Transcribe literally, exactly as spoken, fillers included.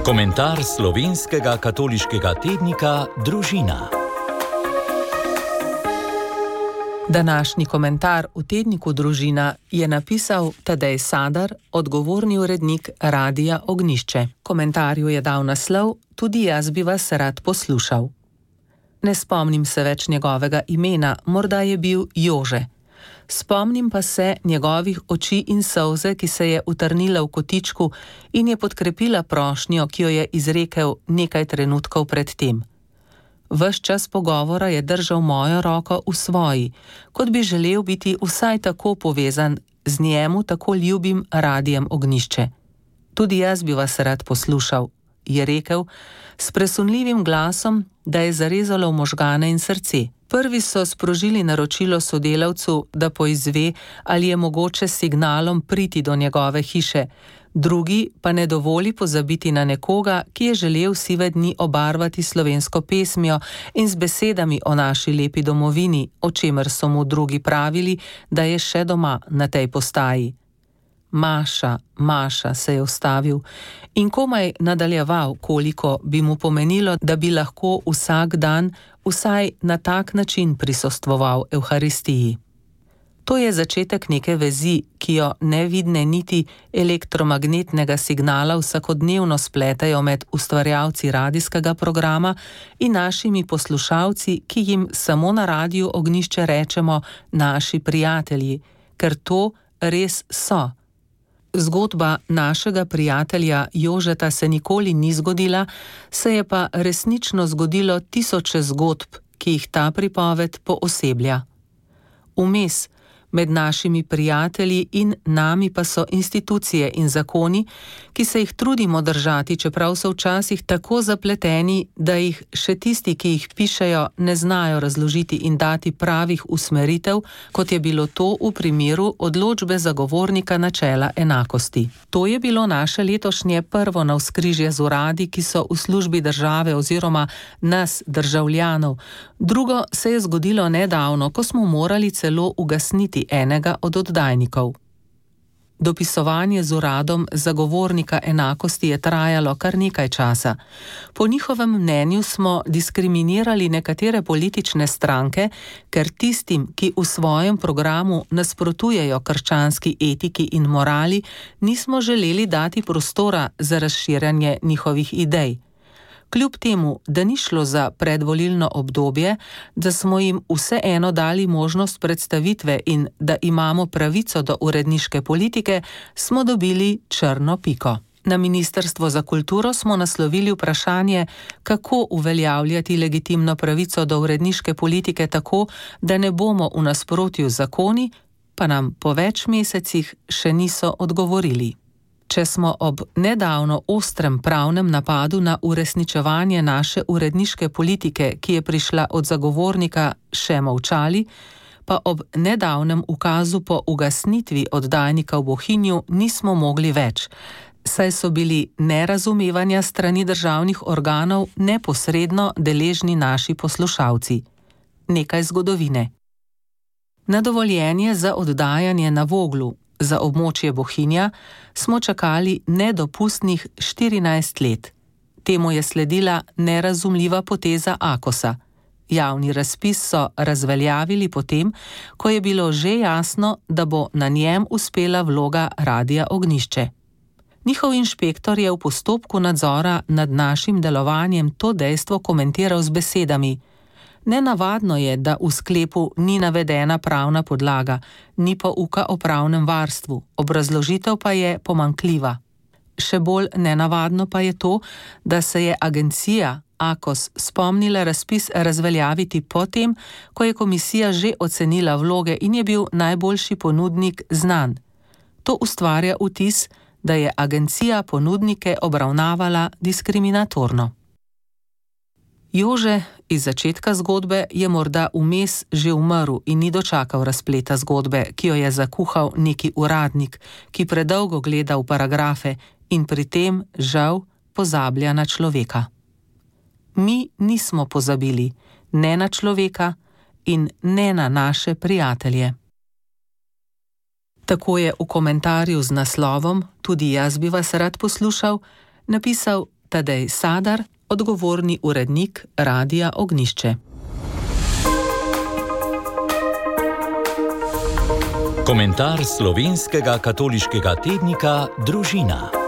Komentar slovenskega katoliškega tednika Družina. Današnji komentar v tedniku Družina je napisal Tadej Sadar, odgovorni urednik Radia Ognjišče. Komentarju je dal naslov Tudi jaz bi vas rad poslušal. Ne spomnim se več njegovega imena, morda je bil Jože. Spomnim pa se njegovih oči in solze, ki se je utrnila v kotičku in je podkrepila prošnjo, ki jo je izrekel nekaj trenutkov pred tem. Ves čas pogovora je držal mojo roko v svoji, kot bi želel biti vsaj tako povezan z njemu tako ljubim Radijem Ognjišče. Tudi jaz bi vas rad poslušal, je rekel, s presunljivim glasom, da je zarezalo v možgane in srce. Prvi so sprožili naročilo sodelavcu, da poizve, ali je mogoče s signalom priti do njegove hiše, drugi pa ne dovoli pozabiti na nekoga, ki je želel sive dni obarvati slovensko pesmijo in z besedami o naši lepi domovini, o čemer so mu drugi pravili, da je še doma na tej postaji. Maša, Maša, se je ustavil in komaj nadaljeval, koliko bi mu pomenilo, da bi lahko vsak dan vsaj na tak način prisostvoval Evharistiji. To je začetek neke vezi, ki jo nevidne niti elektromagnetnega signala vsakodnevno spletajo med ustvarjalci radijskega programa in našimi poslušalci, ki jim samo na Radiu Ognjišče rečemo naši prijatelji, ker to res so. Zgodba našega prijatelja Jožeta se nikoli ni zgodila, se je pa resnično zgodilo tisoče zgodb, ki jih ta pripoved pooseblja. Vmes, med našimi prijatelji in nami pa so institucije in zakoni, ki se jih trudimo držati, čeprav so včasih tako zapleteni, da jih še tisti, ki jih pišejo, ne znajo razložiti in dati pravih usmeritev, kot je bilo to v primeru odločbe zagovornika načela enakosti. To je bilo naše letošnje prvo navzkrižje z uradi, ki so v službi države oziroma nas, državljanov. Drugo se je zgodilo nedavno, ko smo morali celo ugasniti enega od oddajnikov. Dopisovanje z uradom zagovornika enakosti je trajalo kar nekaj časa. Po njihovem mnenju smo diskriminirali nekatere politične stranke, ker tistim, ki v svojem programu nasprotujejo krščanski etiki in morali, nismo želeli dati prostora za razširjanje njihovih idej. Kljub temu, da ni šlo za predvolilno obdobje, da smo jim vseeno dali možnost predstavitve in da imamo pravico do uredniške politike, smo dobili črno piko. Na Ministrstvo za kulturo smo naslovili vprašanje, kako uveljavljati legitimno pravico do uredniške politike tako, da ne bomo v nasprotju z zakoni, pa nam po več mesecih še niso odgovorili. Če smo ob nedavno ostrem pravnem napadu na uresničevanje naše uredniške politike, ki je prišla od zagovornika, še molčali, pa ob nedavnem ukazu po ugasnitvi oddajnika v Bohinju nismo mogli več, saj so bili nerazumevanja strani državnih organov neposredno deležni naši poslušalci. Nekaj zgodovine. Na dovoljenje za oddajanje na Voglu, za območje Bohinja, smo čakali nedopustnih štirinajst let. Temu je sledila nerazumljiva poteza Akosa. Javni razpis so razveljavili potem, ko je bilo že jasno, da bo na njem uspela vloga Radia Ognjišče. Njihov inšpektor je v postopku nadzora nad našim delovanjem to dejstvo komentiral z besedami: Nenavadno je, da v sklepu ni navedena pravna podlaga, ni pouka o pravnem varstvu, obrazložitev pa je pomanjkljiva. Še bolj nenavadno pa je to, da se je agencija Akos spomnila razpis razveljaviti potem, ko je komisija že ocenila vloge in je bil najboljši ponudnik znan. To ustvarja vtis, da je agencija ponudnike obravnavala diskriminatorno. Jože iz začetka zgodbe je morda vmes že umrl in ni dočakal razpleta zgodbe, ki jo je zakuhal neki uradnik, ki predolgo gleda v paragrafe in pri tem, žal, pozablja na človeka. Mi nismo pozabili ne na človeka in ne na naše prijatelje. Tako je v komentarju z naslovom Tudi jaz bi vas rad poslušal napisal Tadej Sadar, odgovorni urednik Radia Ognjišče. Komentar slovenskega katoliškega tednika Družina.